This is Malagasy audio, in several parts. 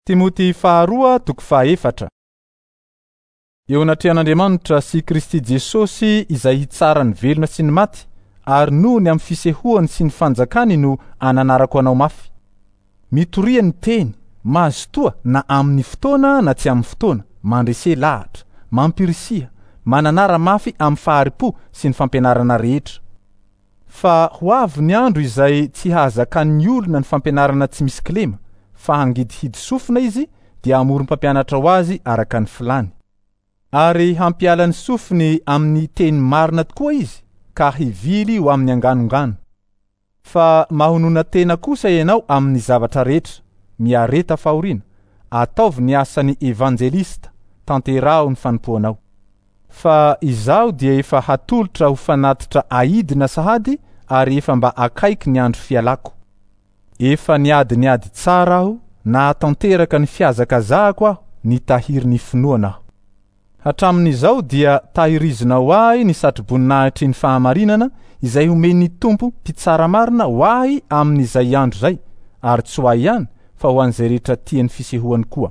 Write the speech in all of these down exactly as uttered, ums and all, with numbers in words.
Timoty faharoa toko fahaefatra. Eo anatrehan'Andriamanitra sy Kristy Jesosy izay hitsara ny velona sy ny maty, ary noho ny amin'ny fisehoany sy ny fanjakany no ananarako anao mafy. Mitoria ny teny, mazotoa na amin'ny fotoana na tsy amin'ny fotoana, mandrese lahatra, mampirisiha, mananara mafy amin'ny fahari-po sy ny fampianarana rehetra. Fa ho avy ny andro izay tsy hahazakan'ny olona ny fampianarana tsy misy kilema, fa hangidihidy sofina izy dia hamorom-pampianatra ho azy araka ny filany. Ary hampiala ny sofiny amin'ny teny marina tokoa izy ka hivily ho amin'ny anganongano. Fa mahonona tena kosa ianao amin'ny zavatra rehetra, miareta fahoriana, ataovy ny asan'ny evanjelista, tanteraho ny fanompoanao. Fa izaho dia efa hatolotra ho fanatitra aidina sahady ary efa mba akaiky ny andro fialako. Efa niady niady tsara aho, nahatanteraka ny fihazakazahako aho, nitahiry ny finoana aho. Hatramin'izao dia tahirizinao ahy ny satroboninahitry ny fahamarinana izay homen'ny Tompo mpitsara marina ho ahy amin'izay andro izay, ary tsy ho ahy ihany fa ho an'izay rehetra tia ny fisehoany koa.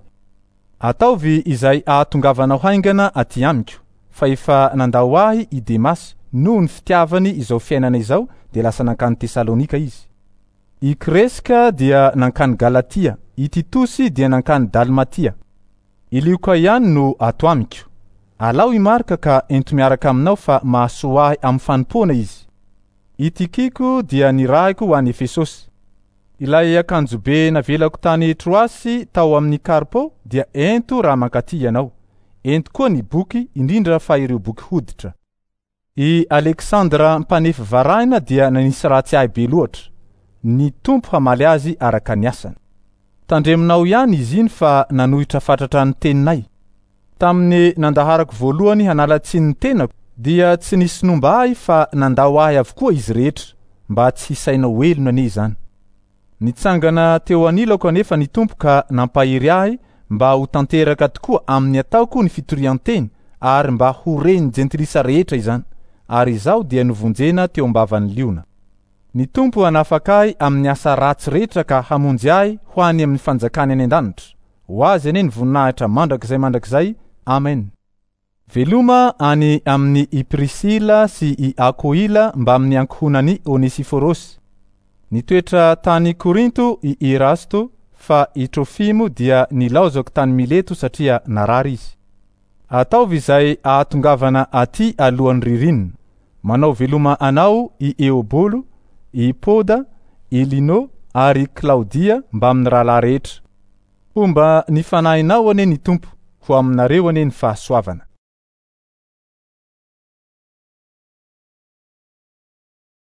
Ataovy izay ahatongavanao haingana aty amiko, fa efa nandao ahy i Demasy noho ny fitiavany izao fiainana izao dia lasa nankany Tesalonika izy. I Kreska dia nankany Galatia, i Titosy dia nankany Dalmatia. I Lioka ihany no ato amiko. Alao i Marka ka ento miaraka aminao fa mahasoa ahy amin'ny fanompoana izy. I Tikiko dia nirahiko ho any Efesosy. Ilay akanjobe navelako tany Troasy tao amin'ny Karpo dia ento raha mankaty ianao. Ento koa ny boky, indrindra fa ireo boky hoditra. I Aleksandra mpanefy varahina dia nanisy ratsy ahy be loatra. Ny Tompo hamaly azy araka ny asany. Tandreminao ihany izy iny fa nanohitra fatratra ny teninay. Tamin'ny nandaharako voalohany hanala tsiny ny tenako dia tsy nisy nomba ahy fa nandao ahy avokoa izy rehetra, mba tsy hisainao helona anie izany. Nitsangana teo anilako anefa ny Tompo ka nampahery ahy mba ho tanteraka tokoa amin'ny ataoko ny fitorian-teny ary mba ho ren'ny jentilisa rehetra izany, ary izaho dia novonjena teo am-bavan'ny liona. Ny Tompo hanafaka ahy amin'ny asa ratsy rehetra ka hamonjy ahy ho any amin'ny fanjakany any an-danitra. Ho azy anie ny voninahitra mandrakizay mandrakizay. Amen. Veloma any amin'ny i Prisila sy i Akoila mbamin'ny ankohonan'i Onesiforosy. Nitoetra tany Korinto i Erasto, fa i Trofimo dia nilaozako tany Mileto satria narary izy. Ataovy izay ahatongavana aty alohan'ny ririnina. Manao veloma anao i Eobolo, i Poda, i Lino ary Klaudia mbamin'ny rahalahy rehetra. Homba ny fanahinao anie ny Tompo, ho aminareo anie ny fahasoavana.